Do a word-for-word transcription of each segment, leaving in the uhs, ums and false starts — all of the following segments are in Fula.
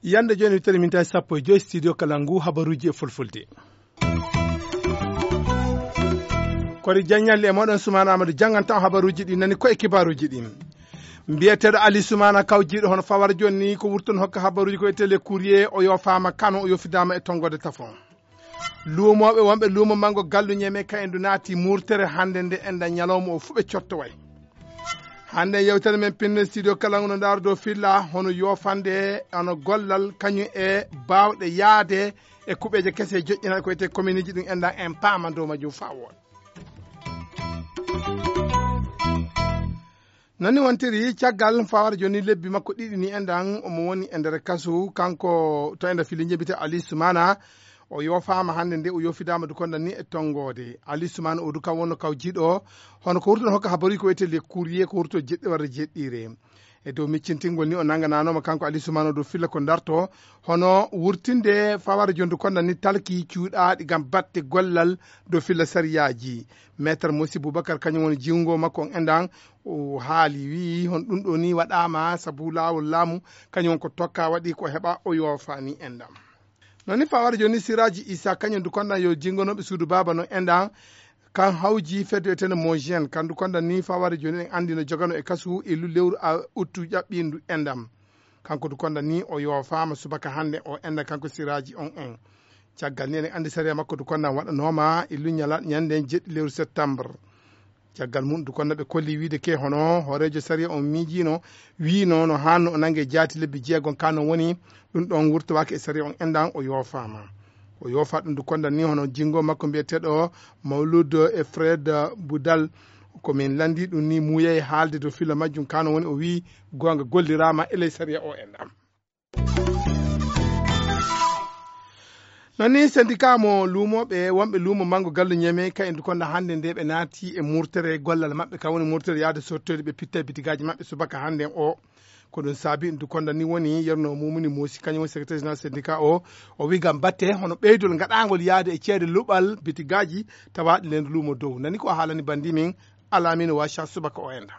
Yande jooni, tele mintaji sappo e joyi, studio Kalangu, habaruji e fulfulde. Kori Jagnalli e moɗon, Soumana Amadou jannganta on habaruji ɗi nani ko e kibaruji ɗi. Mbiyeteeɗo Ali Soumana kawjiiɗo hono Fawar jooni ni ko wurton hokka habaruji ko e télé Courrier, o yoofaama Kano, o yofidaama e tonngode tafon. Luumooɓe wonɓe luumo manngo Gallu Ñeme ka endu naati murtere hannde nde enda ñalawma o fuu ɓe cottoway. Hannde yewtere men pinne studio Kalangu no ndaaro dow filla hono yoofande, hono gollal kañum e baawɗe yaade e kuɓeeje kese joƴƴinaaɗe ko wiyetee kominiiji ɗum enɗan en paama dow majjum faa wooɗa. Noon ni wontiri caggal fawara jooni lebbi makko ɗiɗi ni enɗan omo woni e nder kasu kanko to enda fili jebita Ali Soumana. O yoofaama hannde nde o yoofidaama dukonda ni e tonngoode. Ali Soumana o duka wonno kawjiiɗo hono ko wurtuno hokka habaruji ko wiyetee le courrier ko wurto jeɗɗi warde jeɗɗiire. E dow miccintingol ni o nanngananooma kanko Ali Soumana dow filla ko darto hono wurtinde fawara jooni dukonda ni talki cuuɗaaɗi ngam batte gollal dow filla sariyaaji. Maître Mosi Boubacar kañum woni jiwngo makko on enɗan. O haali, wi'i, hon ɗum ɗo ni waɗaama sabu laawol laamu, kañum woni ko tokka waɗi ko heɓa o yoofa ni enɗan. Noon ni fawara jooni Siraji Isa kañum dukonda yo jinngonooɓe suudu baaba no enɗan. Kan hawji fedde etene Mojien kan dukonda ni fawara jooni en anndi no jogano e kasu illu lewru a uttu ƴaɓɓindu enɗan. Kanko dukonda ni o yoofaama subaka hannde o enɗan kanko Siraji on en. Caggal ni eɗen anndi sariya makko dukonda waɗanooma illu ñala ñande jeɗɗi lewru septembre. Caggal mum dukonda ɓe kolli wiide ke hono hooreejo sariya on miijiino wiino no hanno o nannge jaati lebbi jeegom ka no woni. Ɗum ɗon wurtowaaki e sariya on enɗan o yoofaama. O yoofa ɗum dukonda ni hono jinngo makko mbiyeteeɗo Mawlud e Fred Boudal. Ko min lanndi ɗum ni muuyay haalde dow filla majjum ka no woni o wi'i goonga golliraama e ley sariya o enɗan. Noon ni syndicat mo luumooɓe wonɓe luumo manngo Gallu Ñeme ka en dukonda hannde nde ɓe naati e murtere gollal maɓɓe ka woni murtere yaade sottoyde ɓe pitta e bitigaaji maɓɓe subaka hannde o. Ko ɗum saabi en dukonda ni woni yerno mumuni moosi kañum woni secrétaire général syndicat o. O wi ngam batte hono ɓeydol ngaɗaangol yaade e ceede luɓal bitigaaji tawaaɗi leen luumo dow nani ko haalani bandi min Alamino Wacha subaka o enɗan.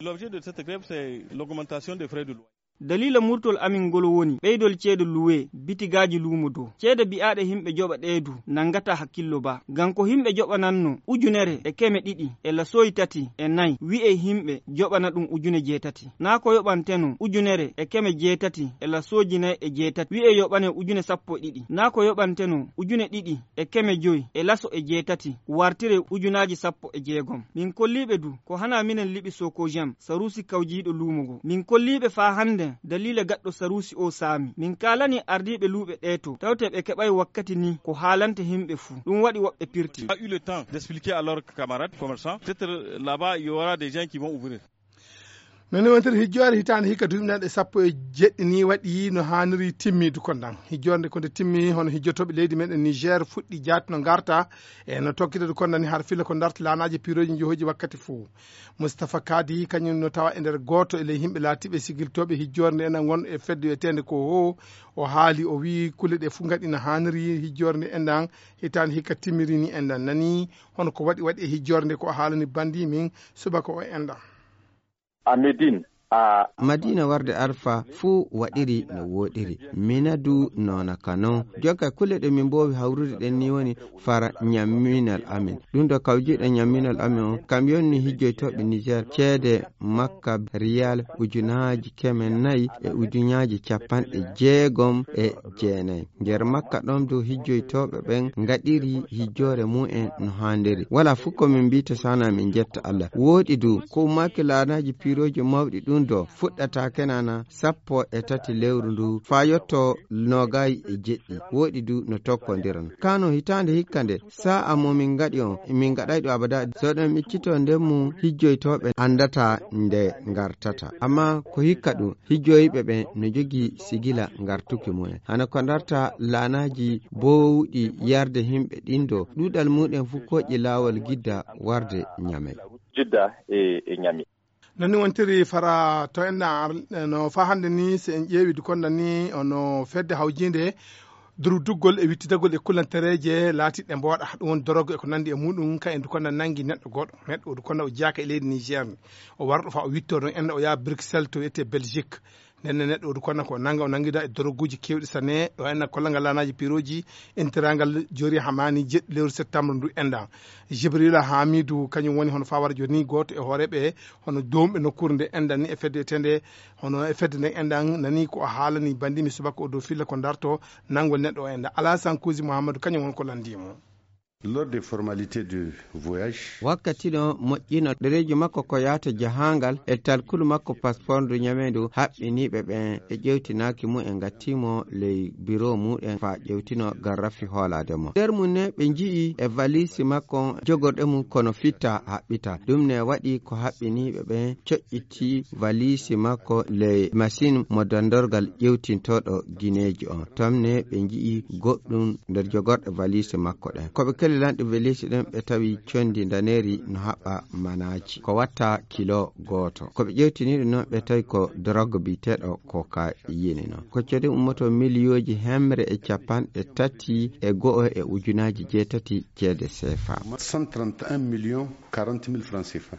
L'objet de cette grève, c'est l'augmentation des frais de loyer. Daliila murtol amin ngol woni ɓeydol ceede luwe bitigaaji luumo dow. Ceede bi'aaɗe himɓe joɓa ɗee du nanngata hakkillo ba. Ngam ko himɓe joɓananno ujunere e keme ɗiɗi e lasooyi tati e nayi, wi'e himɓe joɓana ɗum ujune jeetati. Naa ko yoɓanteno ujunere e keme jeetati e lasooji nayi e jeetati, wi'e yoɓane ujune sappo e ɗiɗi. Naa ko yoɓanteno ujune ɗiɗi e keme joyi e laso e jeetati, wartire ujunaaji sappo e jeegom. Min kolliiɓe du ko hana minen liɓi Sokojam, saruusi kawjiiɗo luumo ngo. Min kolliiɓe faa hannde daliila gaɗɗo saruusi o saami. Min kaalani ardiiɓe luuɓe ɗee to, tawte ɓe keɓay wakkati ni ko haalante himɓe fuu. Ɗum waɗi woɓɓe pirti. A eu le temps d'expliquer à leurs camarades commerçants. Peut-être là-bas, il y aura des gens qui vont ouvrir. Noon ni wontere hijjoore hitaande hikka duuɓi nanɗe sappo e jeɗɗi ni waɗi no haaniri timmi dukondan. Hijjoore nde ko nde timmi hono hijjotooɓe leydi meɗen Niger fuɗɗi jaati no ngarta e no tokkita dukondan ni har filla ko darta laanaaji piirooji njohoji wakkati fof. Moustapha Kadi kañum no tawa e nder gooto e ley yimɓe laatiiɓe sigiltooɓe hijjoore nde enen won e fedde wiyeteende ko ho. O haali o wii kulle ɗe fof ngaɗi no haaniri hijjoore nde enɗan hitaande hikka timmiri ni enɗan nani hono ko waɗi waɗi e hijjoore nde ko o haalani bandi min subaka o enɗan. A Médine, a Madina warde Arfa fuu waɗiri no wooɗiri. Mina du noona ka non. Jonka kulle ɗe min mboowi hawrude ɗen ni woni fara ñamminal amin. Ɗum ɗo kawjiiɗo ñamminal amin on, kam yonni hijjoytooɓe Niger ceede Makka riyal ujunaaji keme nayi e ujunaaji capanɗe jeegom e jeenayi. Nder Makka ɗon du hijjoytooɓe ɓen ngaɗiri hijjoore mumen no haandiri. Wala fuu ko min mbiita sana min njetta Allah. Wooɗi du, ko ummaaki laanaaji piirooji mawɗi ɗum ɗo fuɗɗata kenana sappo e tati lewru ndu faa yotto noogay e jeɗɗi. Wooɗi du no tokkondiran. Kano hitaande hikka nde, sa'a mo min ngaɗi on, min ngaɗay ɗo abada. So ɗen miccito nden mu hijjoytooɓe andata nde ngartata. Amma ko hikka ɗum, hijjoyɓe ɓen no jogii sigila ngartuki mumen. Hana ko ndarta laanaaji bowɗi yarde himɓe ɗin ɗo, ɗuuɗal muɗen fuu koƴi laawol gidda warde Ñamey. Jidda e, e Ñamey. Non ni wontiri fara to en ar-, no faa hannde ni, so en ƴeewi dukonda ni, ono fedde hawjiinde Durduggol e wittidagol e kulantereeje laatiiɗe mbooɗa, ɗum woni dorogo e ko nanndi e muuɗum, ka en dukonna nanngi neɗɗo gooto. Neɗɗo o dukonna o jeyaaka e leydi Niger. O wara ɗo faa o wittoo ɗon enda, o yaha Bruxelles to wiyetee Belgique. Nden ne neɗɗo o dukonna ko nannga, o nanngida e doroguuji keewɗi sanne. Ɗo enda kollal ngal laanaaji pirooji, intiraangal joori hamaani jeɗɗi lewru septembre ndu enda. Jibrila Hamidu, kañum woni hono fawara jooni gooto e hooreeɓe hono doomɓe nokkuure nde enda ni e fedde etende, hono e fedde nden enda nani ko o haalani banndi mi subaka o dow filla ko darto nanngol neɗɗo o enda. Alasan Kuusi Muhammadu, kañum woni ko lanndii mo. Lors des formalités de voyage. Wakkati no moƴƴino ɗereeji makko ko yahata jahaangal e talkulu makko passeport ndu ñameendu haɓɓiniiɓe ɓen e ƴewtinaaki mum en ngattii mo ley biro muɗen faa ƴewtino garrafi hoolaade mo. Nder mum ne ɓe nji'i e valise makko jogorɗe mum kono fitta haɓɓita. Ɗum ne waɗi ko haɓɓiniiɓe ɓen coƴƴiti valise makko ley machine mo dandorgal ƴewtintooɗo gineeji on. Toon ne ɓe nji'i goɗɗum nder jogorɗe valise makko ɗen. Ko ɓe kelli lanɗe valise ɗen ɓe tawi condi ndaneeri no haɓɓa manaaji. Ko watta kilo gooto. Ko ɓe ƴewtini ɗum non ɓe tawi ko drogue biyeteeɗo cocaïne non. Ko ceede ummoto miliyooji hemre e capanɗe tati e go'o e ujunaaji jeetati ceede seefa. Cent trente et un millions quarante mille francs C F A.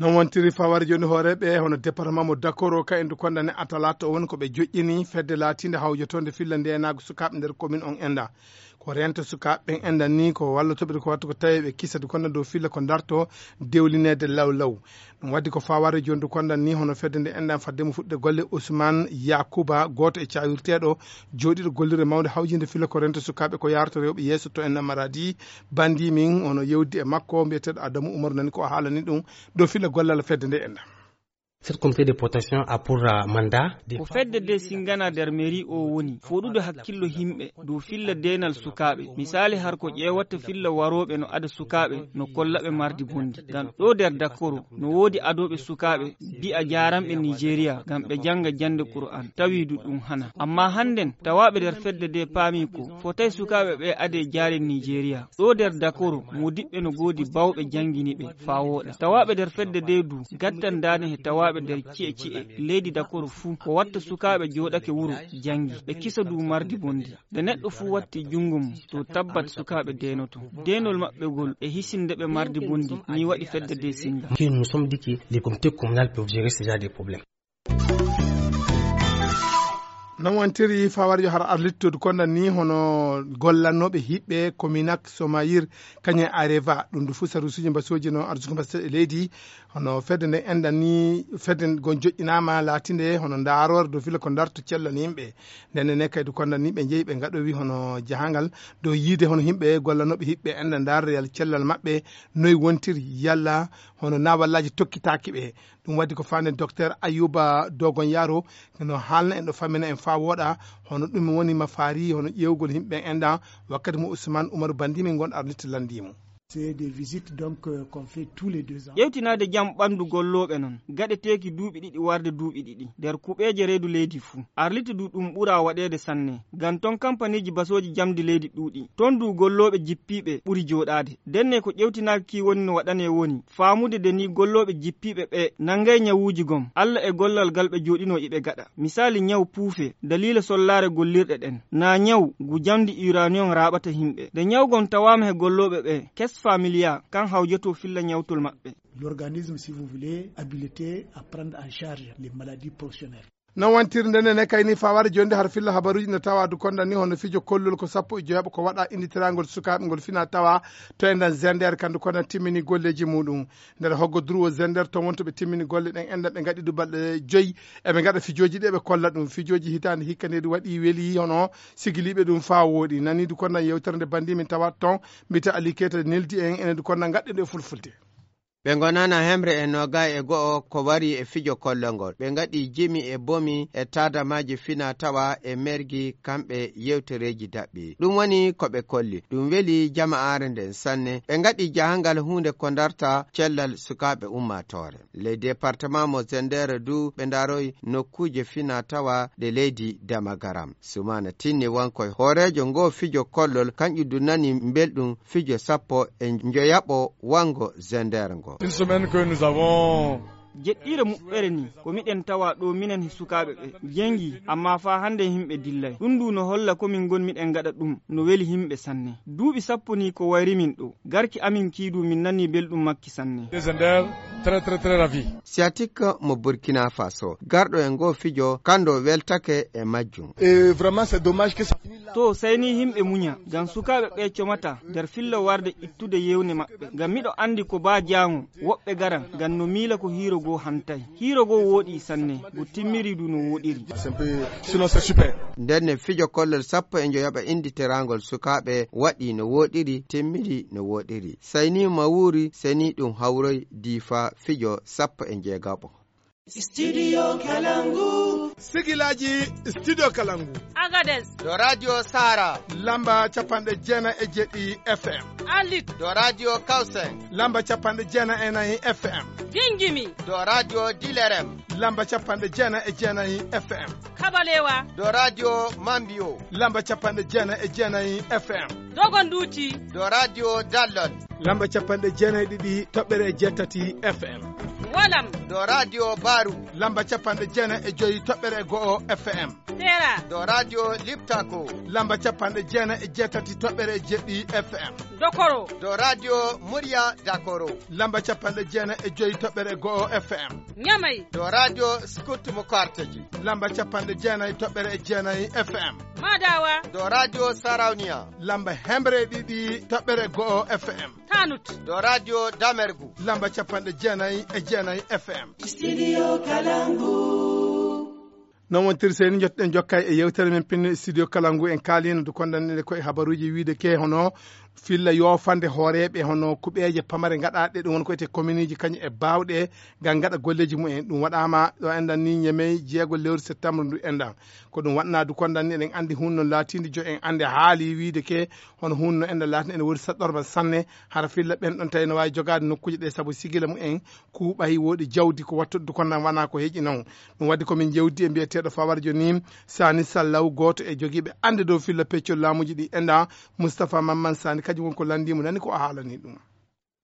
Non wontiri faware jooni hooreeɓe hono département mo Dakoro ka en du kondane atalata o woni ko ɓe joƴƴini fedde laatiinde hawjotoonde filla ndeenaagu sukaaɓe nder commune on enda. Ko rento sukaaɓe ɓen enda ni ko wallotooɓe ko wattu ko tawi ɓe kisa du konda dow filla ko darto dewlineede law law. Ɗum waddi ko faware jooni du konda ni hono fedde nde enda fadde mo fuɗde golle Ousmane Yakuba, gooto e cawirteeɗo jooɗiiɗo gollirde mawnde hawjinde filla ko rento sukaaɓe ko yaarata rewɓe yeeso to en Maradi. Bandi min hono yewdi e makko mbiyeteeɗo Adamu Umaru nani ko o haalani ɗum dow filla gollal fedde nde enda. Cette comité de protection a pour, euh, mandat de ko fedde de singana nder mairie o woni foɗude hakkillo himɓe dow filla denal sukaaɓe. Misali har ko ƴeewata filla warooɓe no ada sukaaɓe no kollaɓe mardi bondi. Ngam ɗo nder Dakoro no woodi adooɓe sukaaɓe mbi'a jaaranɓe Nigeria ngam ɓe janga jande Qur'an. Tawi du ɗum hana. Amma hannden tawaaɓe nder fedde de paami ko fotay sukaaɓe ɓe ade jaare Nigeria. Ɗo nder Dakoro, moodiɓɓe no goodi bawɓe janngini ɓe faa wooɗa. Tawaaɓe nder fedde de du, gattan daane he tawaaɓe nder ci'e ci'e leydi Dakoro fuu. Ko watta sukaaɓe jooɗake wuro, janngi, ɓe kisa du mardi bondi. Nde neɗɗo fuu watti junngo mum, to tabbat sukaaɓe deenoto. Deenol maɓɓe ngol e hisinde ɓe mardi bondi, ni waɗi fedde de singa. Que nous sommes dit que les comités communaux peuvent gérer ce genre de problème. Non wontiri fawarijo har arlittude konda ni hono gollannooɓe hiɓɓe Kominak Somayir kañe Areva. Ɗum ndu fuu sarusuji mbasooji no arsugo mbasa e leydi. Hono fedde nde enɗan ni fedde gon joƴƴinaama laatinde hono ndaaroore dow fila ko ndarto cellal yimɓe. Nden ne kaydu konda ni ɓe njehi ɓe ngaɗowi hono jahangal dow yiide hono yimɓe gollannooɓe hiɓɓe enɗan ndaarreyal cellal maɓɓe noy wontiri yalla hono naawallaaji tokkitaaki ɓe. Ɗum waddi ko faande docteur Ayuba Dogon Yaro no haalna en ɗo fammina en faa wooɗa hono ɗum woni mafaari hono ƴeewgol yimɓe ɓen enɗan wakkati mo Ousmane Umaru Bandimi ngon arniti lanndii mo. C'est des visites donc, euh, qu'on fait tous les deux ans. Ƴewtinaade jam ɓanndu gollooɓe non gaɗeteeki duuɓi ɗiɗi warde duuɓi ɗiɗi nder kuɓeeje reedu leydi fuu. Arliti du ɗum ɓura waɗeede sanne ngam ton kampaniiji basooji jamdi leydi ɗuuɗi. Ton du gollooɓe jippiiɓe ɓuri jooɗaade. Ndenne ko ƴewtinaaki woni no waɗanee woni faamude de ni gollooɓe jippiiɓe ɓe nanngay ñawuuji gom. Alla e gollal gal ɓe jooɗinoo iɓe gaɗa. Misaali ñaw puufe daliila sollaare gollirɗe ɗen. Naa ñaw ngu jamdi uranium raaɓata yimɓe. Nde ñaw gon tawaama he gollooɓe ɓe, Kes Familia kan hawjotoo filla ñawtol maɓɓe. L'organisme, si vous voulez, habilité à prendre en charge les maladies professionnelles. Non wontirde nde ne kayni fawaade jooni nde har filla habaruuji ne tawa du konda ni hono fijo kollol ko sappo e joyaɓo ko waɗa innditirangol sukaaɓe ngol fina tawa to enɗan Zender kandu konda timmini golleeji muɗum. Nder hoggo durwo Zender ton wonto ɓe timmini golle ɗen enɗan ɓe ngaɗi du balɗe joyi eɓe ngaɗa fijooji ɗi eɓe kolla ɗum. Fijooji hitaande hikka nde du waɗi weli hono sigiliiɓe ɗum faa wooɗi. Nani du konda yewtere nde bandi min tawa ton mbita Ali Keita neldi en enen du konda ngaɗɗen ɗo e fulfulde. Ɓe ngonana hemre e noogay e go'o ko wari e fijo kollongol. Ɓe ngaɗi jimi e bomi e taadamaaji fina tawa e mergi kamɓe yewtereeji daɓɓi. Ɗum woni ko ɓe kolli. Ɗum weli jama'aare nden sanne. Ɓe ngaɗi jahangal huunde ko ndarta cellal sukaaɓe ummaatoore. Ley departement mo Zender du ɓe ndaroy nokkuuje fina tawa ɗe leydi Damagaram. Sumana Tinni wankoy hooreejo ngo fijo kollol kanƴu du nani mbelɗum fijo sappo e njoyaɓo wango Zender ngo. Une semaine que nous avons Jeɗɗiire muɓɓere ni, ko miɗen tawa ɗo minen he sukaaɓe ɓe. Jengi, amma faa hannde himɓe dillay. Ɗum ndu no holla ko min ngon miɗen ngaɗa ɗum, no weli himɓe sanne. Duuɓi sappo ni ko wayri min ɗo. Garki amin kiidu min nani belɗum makki sanne. Desender, très, très, très ravi. Siyatik mo Burkina Faso, garɗo e ngoo fijo, kanndo weltake e majjum. Et vraiment, c'est dommage que ça finit là. To sayni himɓe muña, ngam sukaaɓe ɓe comata nder fillo warde ittude yewne maɓɓe. Ngam miɗo anndi ko baa jaango, woɓɓe garan, ngam no miila ko hiiro goo hantay. Hiiro goo wooɗi sanne, go timmiri du no wooɗiri. C'est un peu, sinon c'est super. Nden ne fijo kollol sappo e njoyaɓa indi teraangol sukaaɓe waɗi no wooɗiri, timmiri no wooɗiri. Sayni Mawuri, seni ɗum hawroy diifa fijo sappo e njeegaɓo. Studio Kalangu. Sigilaaji Studio Kalangu. Agades. Ɗo Radio Sara. Lamba capanɗe jeenayi e jeɗɗi F M. Alit. Ɗo Radio Kausen. Lamba capanɗe jeenayi e nayi F M. Gingimi. Ɗo Radio Dilerem. Lamba capanɗe jeenayi e jeenayi F M. Kabalewa. Ɗo Radio Mambio. Lamba capanɗe jeenayi e jeenayi F M. Dogonduti. Ɗo Radio Dallon. Lamba capanɗe jeenayi e ɗiɗi toɓɓere e jeetati F M. Walam. Ɗo Radio Baru. Lamba capanɗe jeenayi e joyi toɓɓere e go'o F M. Sera. Ɗo Radio Liptako. Lamba capanɗe jeenayi e jeetati toɓɓere e jeɗɗi F M. Dokoro. Ɗo Radio Murya Dakoro. Lamba capanɗe jeenayi e joyi toɓɓere e go'o F M. Ñamay. Ɗo Radio Scout mo Karteji. Lamba capanɗe jeenayi toɓɓere e jeenayi F M. Madawa. Ɗo Radio Sarauniya. Lamba hemre e ɗiɗi toɓɓere e go'o F M. Tanut. Ɗo Radio Damergu. Lamba capanɗe jeenayi e jeenayi F M. Studio Kalangu. Noon wontirse ni, njottuɗen jokkay e yewtere men pinne studio kala ngu en kaalino du kondanɗe ko e habaruuji wiide ke hono filla yoofande hooreeɓe hono kuɓeeje pamare ngaɗaaɗe ɗum won ko ete kominiiji kañum e baawɗe ngam ngaɗa golleeji mumen. Ɗum waɗaama ɗo enɗan ni ñemey jeego lewru septembre ndu enɗan. Ko ɗum waɗnaa du kondanɗe eɗen anndi hunno laatiinde jo en annde haali wiide ke hono hunno enɗan laatinde ene woodi saɗɗorma sanne hara filla ɓen ɗon tawi no waawi jogaade nokkuuje ɗe sabu sigila mumen kuuɓay wooɗi jawdi ko wattude du kondan wonaa ko heƴi noon. Ɗum waɗi ko min jewdi e mbiyeteeɗo Fawarjo ni Sani Sallaw gooto e jogiiɓe annde dow filla peccol laamuuji ɗi enɗan Moustapha Mamman Sani kañum woni ko lanndii mo nani ko o haalani ɗum.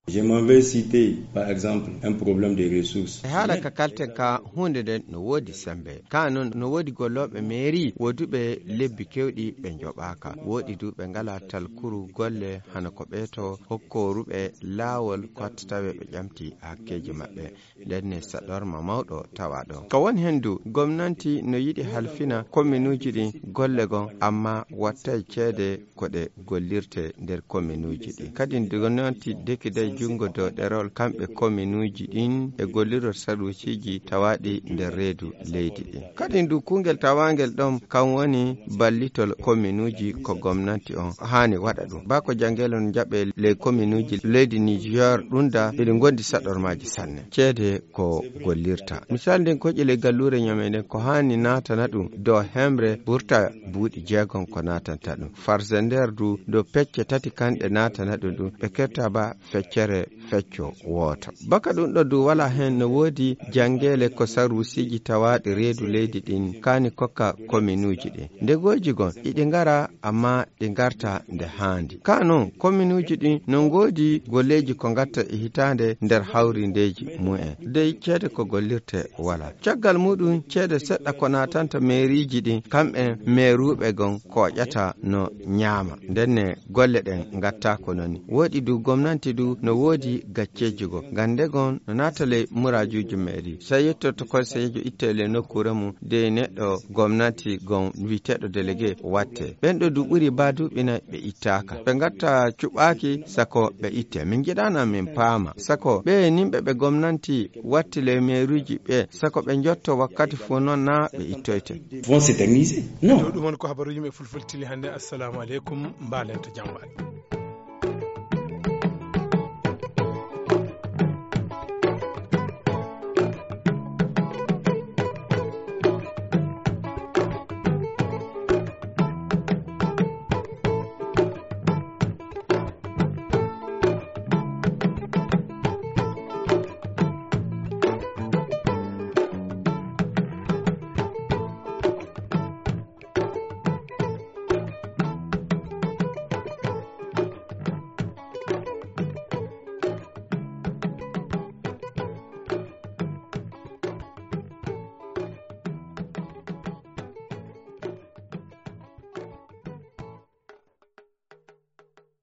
Je m'en vais citer par exemple un problème de ressources. E haala ka kalten ka huunde nden no woodi sembe. Ka noon no woodi gollooɓe mairie wooduɓe lebbi kewɗi ɓe njoɓaaka. Wooɗi du ɓe ngalaa talkuru golle hano ko ɓee to hokkooruɓe laawol ko watta tawe ɓe ƴamti hakkeeji maɓɓe. Nden ne saɗorma mawɗo tawa ɗon. Ka woni hen du, gomnanti no yiɗi halfina kominuuji ɗin golle gon, amma wattay ceede ko ɗe gollirte nder kominuuji ɗin. Kadin gomnanti dekiday junngo dow ɗerol kamɓe kominuuji ɗin e gollirol saruusiiji tawaaɗi nder reedu leydi ɗin. Kadin du kungel tawaangel ɗon kan woni ballitol kominuuji ko gomnanti on haani waɗa ɗum. Baa ko janngel on jaɓe ley kominuuji leydi Niger ɗum da eɗi ngondi saɗormaaji sanne. Ceede ko gollirta. Misal nden koƴe ley galluure ñame nden ko haani naatana ɗum dow hemre ɓurta buuɗi jeegom ko naatanta ɗum. Farze nder du dow pecce tati kanɗe naatana ɗum ɗum ɓe ketta ba feccere fecco wooto. Baka ɗum ɗo du wala hen no woodi janngele ko saruusiiji tawaaɗi reedu leydi ɗin kaani kokka kominuuji ɗin. Ndegooji gon iɗi ngara amma ɗi ngarta nde haandi. Ka noon, kominuuji ɗin no ngoodi golleeji ko ngatta e hitaande nder hawrindeeji mumen. Dey ceede ko gollirte wala. Caggal muɗum ceede seɗɗa ko naatanta meeriiji ɗin, kamɓen meeruuɓe gon kooƴata no ñaama. Ndenne golle ɗen ngatta ko noni. Woɗi du gomnanti du no woodi gacceeji goo. Ngannde gon no naata ley muraajuuji meeri. So a yettoto konseyeejo itte ley nokkuure mum, dey neɗɗo gomnanti gon wi'eteeɗo délégué watte. Ɓen ɗo du ɓuri baa duuɓi nay ɓe ittaaka. Ɓe ngatta cuɓaaki sako ɓe itte. Min njiɗaana min paama. Sako ɓe nimɓe ɓe gomnanti watti ley meeruuji ɓe, sako ɓe njotto wakkati fof noon naa ɓe ittoyte. Vont s'éterniser. Non. Ɗo ɗum woni ko habaruuji men fulfulde tili hannde. Assalamu aleykum. Mbaalen to jam waɗi.